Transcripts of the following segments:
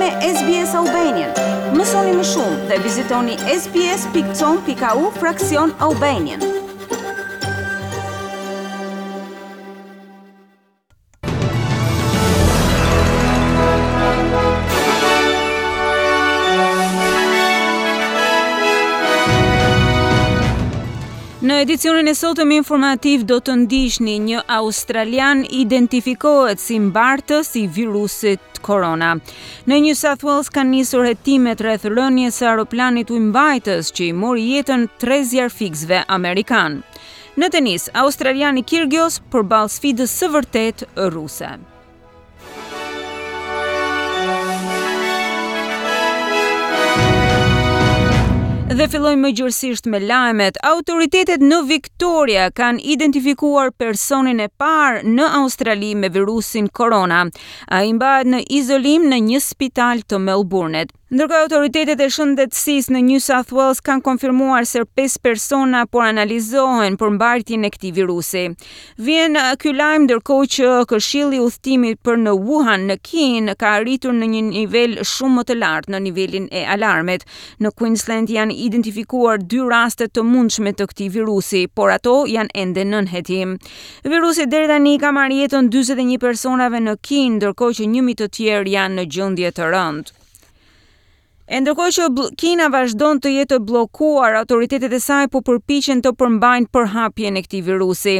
me SBS Albanian. Mësoni më shumë dhe vizitoni sbs.com.au fraksion Albanian. Në edicionin e sotëm informativ do të ndiqni një australian identifikohet si mbartës i virusit korona. Në New South Wales kanë nisur hetimet rreth rënies së aeroplanit ujëmbajtës që i mori jetën tre zjarrfikësve amerikanë. Në tenis, australiani Kyrgios përballë sfidës së vërtetë ruse. Dhe fillojmë më gjerësisht me lajmet. Autoritetet në Victoria kanë identifikuar personin e parë në Australi me virusin korona. Ai mbahet në izolim në një spital të Melbourne-it. Ndërkohë autoritetet e shëndetësisë në New South Wales kanë konfirmuar se 5 persona po analizohen për mbartjen e këtij virusi. Vjen ky lajm ndërkohë që Këshilli i Udhëtimit për në Wuhan në Kinë ka arritur në një nivel shumë më të lartë në nivelin e alarmit. Në Queensland janë identifikuar dy raste të mundshme të këtij virusi, por ato janë ende nën hetim. Virusi deri tani ka marrë jetën 41 personave në Kinë, ndërkohë që 1000 të tjerë janë në gjendje të rëndë. E ndërkohë që Kina vazhdon të jetë e bllokuar, autoritetet e saj po përpiqen të përmbajnë përhapjen e këtij virusi.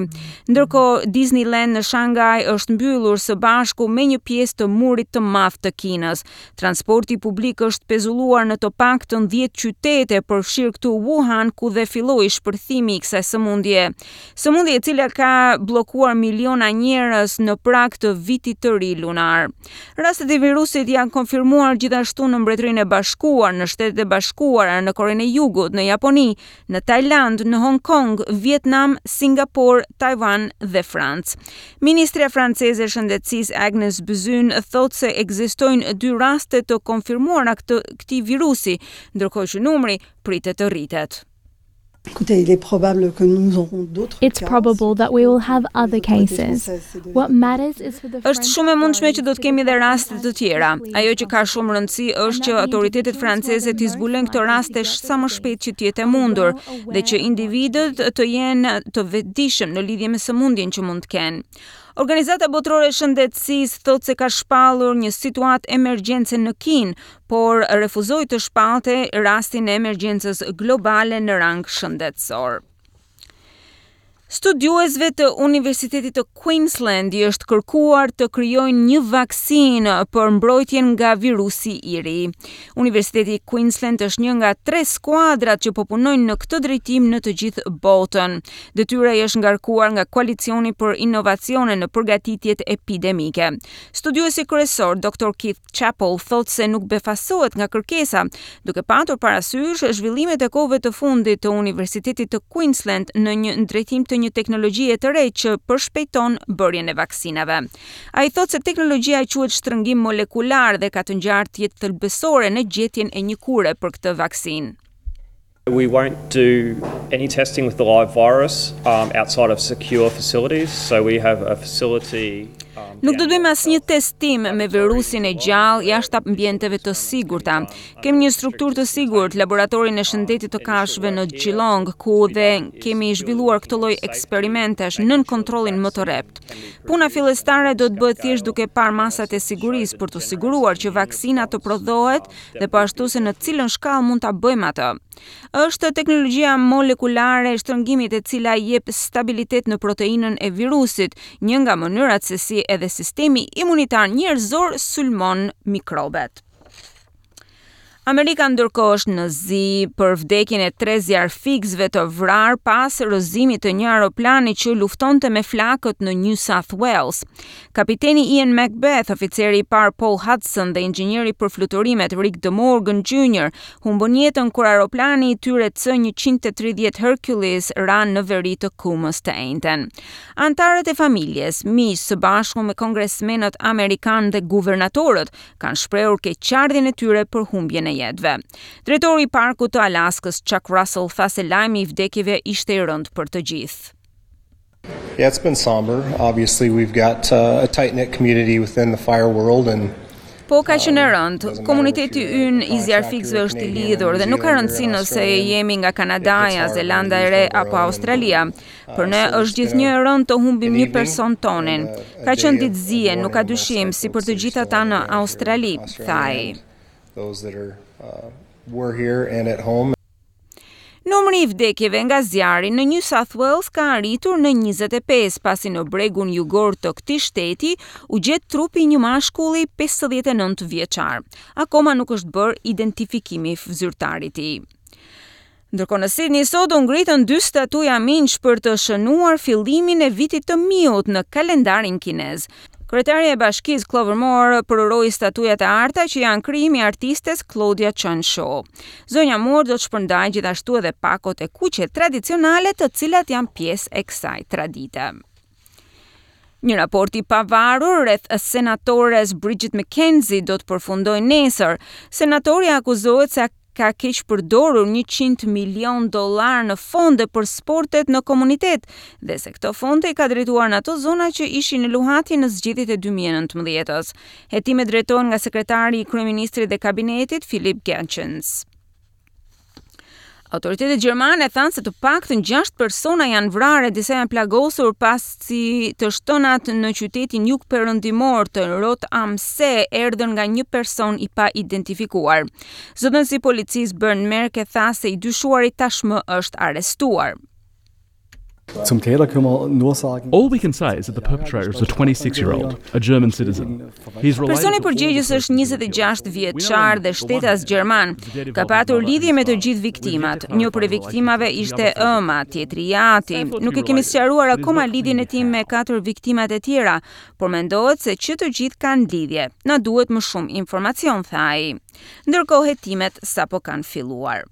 Ndërkohë, Disneyland në Shanghai është mbyllur së bashku me një pjesë të murit të madh të Kinës. Transporti publik është pezulluar në të paktën 10 qytete, përfshirë këtu Wuhan, ku dhe filloi shpërthimi i kësaj sëmundje. Sëmundje e cila ka bllokuar miliona njerëz në prag të vitit të ri lunar. Rastet e virusit janë konfirmuar gjithashtu në Mbretërinë e Bashkuar, në Shtetet e Bashkuara, në Korenë e Jugut, në Japoni, në Tajlandë, në Hong Kong, Vietnam, Singapor, Tajvan dhe Francë. Ministrja franceze e Shëndetësisë Agnes Buzyn thotë se ekzistojnë dy raste të konfirmuara të këtij virusi, ndërkohë që numri pritet të rritet. It's probable that we will have other cases. What matters is for the Është shumë e mundshme që do të kemi dhe raste të tjera. Ajo që ka shumë rëndësi është që autoritetet franceze t'i zbulojnë këto raste sa më shpejt që të jetë e mundur dhe që individët të jenë të vetëdijshëm në lidhje me sëmundjen që mund të kenë. Organizata Botërore e Shëndetësisë thotë se ka shpallur një situatë emergjence në Kinë, por refuzoi të shpallte rastin e emergjencës globale në rang shëndetësor. Studiuesve të Universitetit të Queensland i është kërkuar të krijojnë një vaksinë për mbrojtjen nga virusi i ri. Universiteti i Queensland është një nga tre skuadrat që po punojnë në këtë drejtim në të gjithë botën. Detyra i është ngarkuar nga Koalicioni për Inovacione në Përgatitjet Epidemike. Studiuesi kryesor, Dr. Keith Chappell thotë se nuk befasohet nga kërkesa, duke patur parasysh zhvillimet e kohëve të fundit të Universitetit të Queensland në një drejtim të një teknologjie të re që përshpejton bërjen e vaksinave. Ai thotë se teknologjia quhet shtrëngim molekular dhe ka të ngjarë të jetë thelbësore në gjetjen e një kure për këtë vaksinë. We won't do any testing with the live virus um, outside of secure facilities. So we have a facility um, Nuk do të bëjmë asnjë testim me virusin e gjallë jashtë ambienteve të sigurta. Kemi një strukturë të sigurt, laboratorin e shëndetit të kafshëve në Geelong, ku dhe kemi zhvilluar këtë lloj eksperimentesh nën kontrollin më të rreptë. Puna fillestare do të bëhet thjesht duke parë masat e sigurisë për të siguruar që vaksina të prodhohet dhe po ashtu se në cilën shkallë mund ta bëjmë atë. Është teknologjia molekulare e shtrëngimit e cila jep stabilitet në proteinën e virusit, një nga mënyrat se si edhe sistemi imunitar njerëzor sulmon mikrobet. Amerika ndërkohë është në zi për vdekjen e tre zjarrfikësve të vrarë pas rrëzimit të një aeroplani që luftonte me flakët në New South Wales. Kapiteni Ian Macbeth, oficeri i parë Paul Hudson dhe inxhinieri për fluturimet Rick De Morgan Jr. humbën jetën kur aeroplani i tyre C-130 Hercules ra në veri të Kumës të enjten. Anëtarët e familjes, miq së bashku me kongresmenët amerikanë dhe guvernatorët kanë shprehur keqardhjen e tyre për humbjen e jetëve. Drejtori i parkut të Alaskës, Chuck Russell, tha se lajmi i vdekjeve ishte i rëndë për të gjithë. Yeah, it's been somber. Obviously, we've got uh, a tight-knit community within the fire world and. Po ka qenë e rëndë. Komuniteti ynë i zjarrfikësve është i lidhur dhe nuk ka rëndësi nëse jemi nga Kanadaja, Zelanda e Re apo Australia. Për ne është gjithnjë e rëndë të humbim një person tonin. Ka qenë ditë zie, nuk ka dyshim, si për të gjithë ata në Australi, tha ai. Numri i vdekjeve nga zjarri në New South Wales ka arritur në 25, pasi në bregun jugor të këtij shteti u gjet trupi i një mashkulli 59 vjeçar. Akoma nuk është bërë identifikimi zyrtar i tij. Ndërkohë në Sydney sot u ngritën dy statuja minjsh për të shënuar fillimin e vitit të miut në kalendarin kinez. Kryetarja e bashkisë Clover Moore përuroi statujat e arta që janë krijim i artistes Claudia Chen Shaw. Zonja Moore do të shpërndajë gjithashtu edhe pakot e kuqe tradicionale të cilat janë pjesë e kësaj tradite. Një raport i pavarur rreth senatores Bridget McKenzie do të përfundojë nesër. Senatorja akuzohet se ka keqpërdorur 100 milion dollar në fonde për sportet në komunitet dhe se këto fonde i ka drejtuar në ato zona që ishin në luhatje në zgjedhjet e 2019-ës. Hetimet drejtohen nga sekretari i kryeministrit dhe kabinetit Philip Gaetjens. Autoritetet gjermane thanë se të paktën 6 persona janë vrarë e disa janë plagosur pasi të shtënat në qytetin jugperëndimor të Rot am See erdhën nga një person i paidentifikuar. Zëdhënësi i policisë Bernd Merke tha se i dyshuari tashmë është arrestuar. Zum Täter können wir nur sagen. All we can say is that the perpetrator is a 26-year-old, a German citizen. He's related Personi përgjegjës është 26 vjeçar dhe shtetas gjerman. Ka patur lidhje me të gjithë viktimat. Një prej viktimave ishte e ëma, tjetri i ati. Nuk e kemi sqaruar akoma lidhjen e tij me katër viktimat e tjera, por mendohet se që të gjithë kanë lidhje. Na duhet më shumë informacion, tha ai. Ndërkohë hetimet sapo kanë filluar.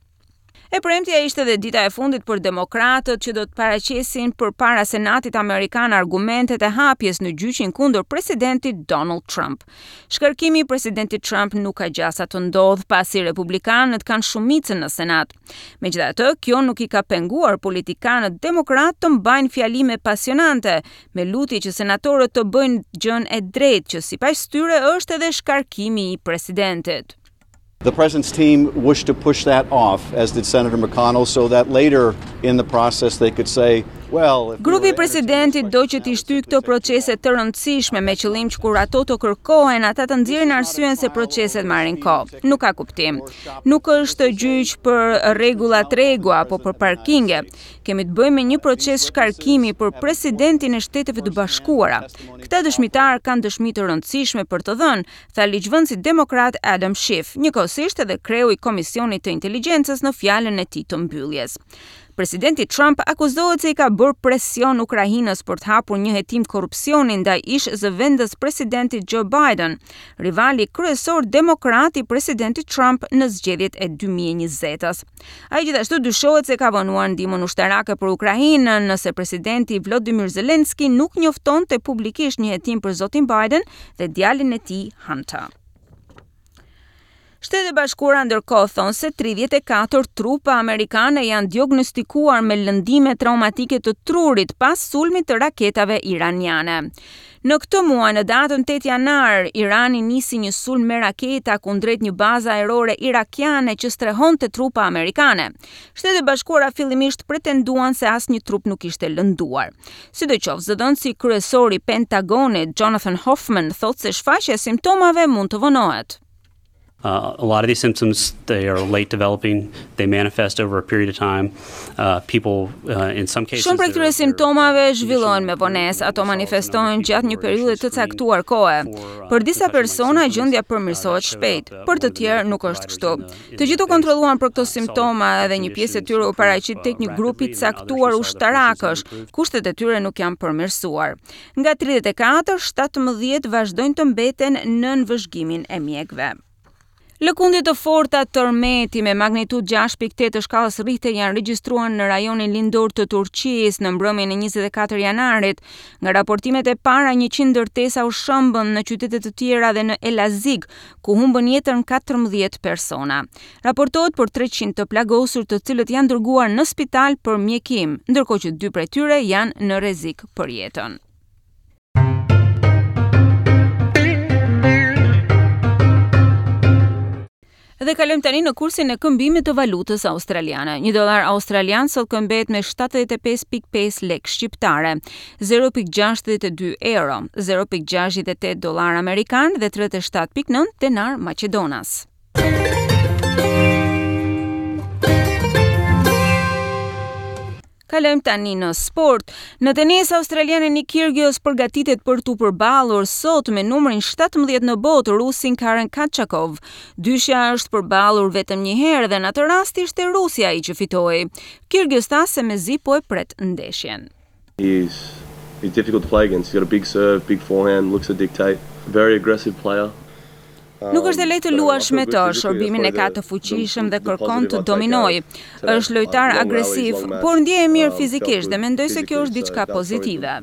E premtja ishte dhe dita e fundit për demokratët që do të paraqesin përpara Senatit Amerikan argumentet e hapjes në gjyqin kundër presidentit Donald Trump. Shkarkimi i presidentit Trump nuk ka gjasa të ndodhë pasi republikanët kanë shumicën në Senat. Megjithatë, kjo nuk i ka penguar politikanët demokratë të mbajnë fjalime pasionante, me lutje që senatorët të bëjnë gjënë e drejtë që sipas tyre është edhe shkarkimi i presidentit. The president's team wished to push that off, as did Senator McConnell, so that later in the process they could say, well, if Grupi i presidentit do që t'i shtyjë këto procese të rëndësishme me qëllim që kur ato të kërkohen, ata të nxjerrin arsyen se proceset marrin kohë. Nuk ka kuptim. Nuk është gjyq për rregulla tregu apo për parkinge. Kemi të bëjmë me një proces shkarkimi për presidentin e Shteteve të Bashkuara. Këta dëshmitarë kanë dëshmi të rëndësishme për të dhënë, tha ligjvënësi demokrat Adam Schiff, njëkohësisht edhe kreu i Komisionit të Inteligjencës në fjalën e tij të mbylljes. Presidenti Trump akuzohet se i ka bërë presion Ukrainës për të hapur një hetim korrupsioni ndaj ish zëvendës presidentit Joe Biden, rivali kryesor demokrat i presidentit Trump në zgjedhjet e 2020-s. Ai gjithashtu dyshohet se ka vonuar ndihmën ushtarake për Ukrainën nëse presidenti Volodymyr Zelensky nuk njoftonte publikisht një hetim për zotin Biden dhe djalin e tij Hunter. Shtetet e Bashkuara ndërkohë thonë se 34 trupa amerikane janë diagnostikuar me lëndime traumatike të trurit pas sulmit të raketave iraniane. Në këtë muaj, në datën 8 janar, Irani nisi një sulm me raketa kundrejt një baze ajrore irakiane që strehonte trupa amerikane. Shtetet e Bashkuara fillimisht pretenduan se asnjë trup nuk ishte lënduar. Sidoqoftë, zëdhënësi kryesor i Pentagonit, Jonathan Hoffman, thotë se shfaqja e simptomave mund të vonohet. Uh, a lot of these symptoms they are late developing they manifest over a period of time uh, people uh, in some cases Shumë prej këtyre simptomave zhvillohen me vonesë, ato manifestohen gjatë një periudhe të caktuar kohe. Për disa persona gjendja përmirësohet shpejt, për të tjerë nuk është kështu. Të gjithë u kontrolluan për këto simptoma edhe një pjesë e tyre u paraqit tek një grup i caktuar ushtarakësh. Kushtet e tyre nuk janë përmirësuar. Nga 34, 17 vazhdojnë të mbeten nën vëzhgimin e mjekëve. Lëkundje të forta tërmeti me magnitudë 6.8 të shkallës Richter janë regjistruar në rajonin lindor të Turqisë në mbrëmjen e 24 janarit. Nga raportimet e para, 100 ndërtesa u shembën në qytete të tjera dhe në Elazig, ku humbën jetën 14 persona. Raportohet për 300 të plagosur të cilët janë dërguar në spital për mjekim, ndërkohë që dy prej tyre janë në rrezik për jetën. Dhe kalojmë tani në kursin e këmbimit të valutës australiane. Një dollar australian sot këmbehet me 75.5 lekë shqiptare, 0.62 euro, 0.68 dollar amerikan dhe 37.9 denar maqedonas. Kalojmë tani në sport. Në tenis, australiani Nick Kyrgios përgatitet për t'u përballur sot me numrin 17 në botë, rusin Karen Khachanov. Dyshja është përballur vetëm një herë dhe në atë rast ishte rusi ai që fitoi. Kyrgios tha se mezi po e pret ndeshjen. He's he's difficult to play against. He's got a big serve, big forehand, looks to dictate. Very aggressive player. Nuk është e lehtë të luash me të, shërbimin e ka të fuqishëm dhe kërkon të dominojë. Është lojtar agresiv, por ndjehem mirë fizikisht dhe mendoj se kjo është diçka pozitive.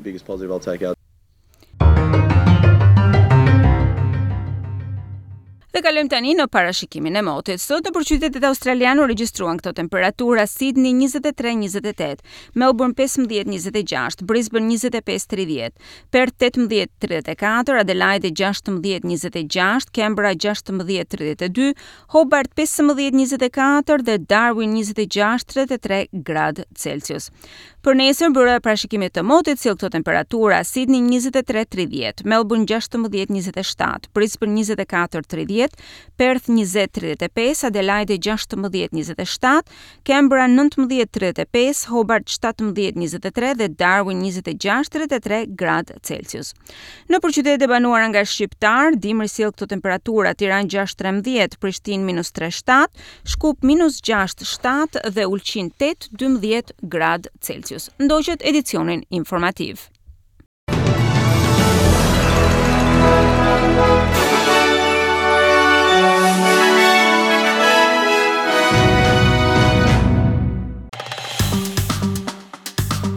Dhe kalojmë tani në parashikimin e motit. Sot nëpër qytetet australiane u regjistruan këto temperatura: Sydney 23-28, Melbourne 15-26, Brisbane 25-30, Perth 18-34, Adelaide 16-26, Canberra 16-32, Hobart 15-24 dhe Darwin 26-33 gradë Celsius. Për nesër, Byroja e Parashikimit të Motit sjell këto temperatura: Sydney 23-30, Melbourne 16-27, Brisbane 24-30, Perth 20-35, Adelaide 16-27, Canberra 19-35, Hobart 17-23 dhe Darwin 26-33 gradë Celsius. Nëpër qytetet e banuara nga shqiptarë, dimri sjell këto temperatura: Tiranë 6-13, Prishtinë minus 3-7, Shkup minus 6-7 dhe Ulqin 8-12 gradë Celsius. Ndoqët edicionin informativ.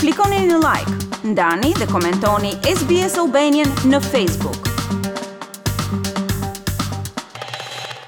Klikoni në like, ndani dhe komentoni SBS Albanian në Facebook.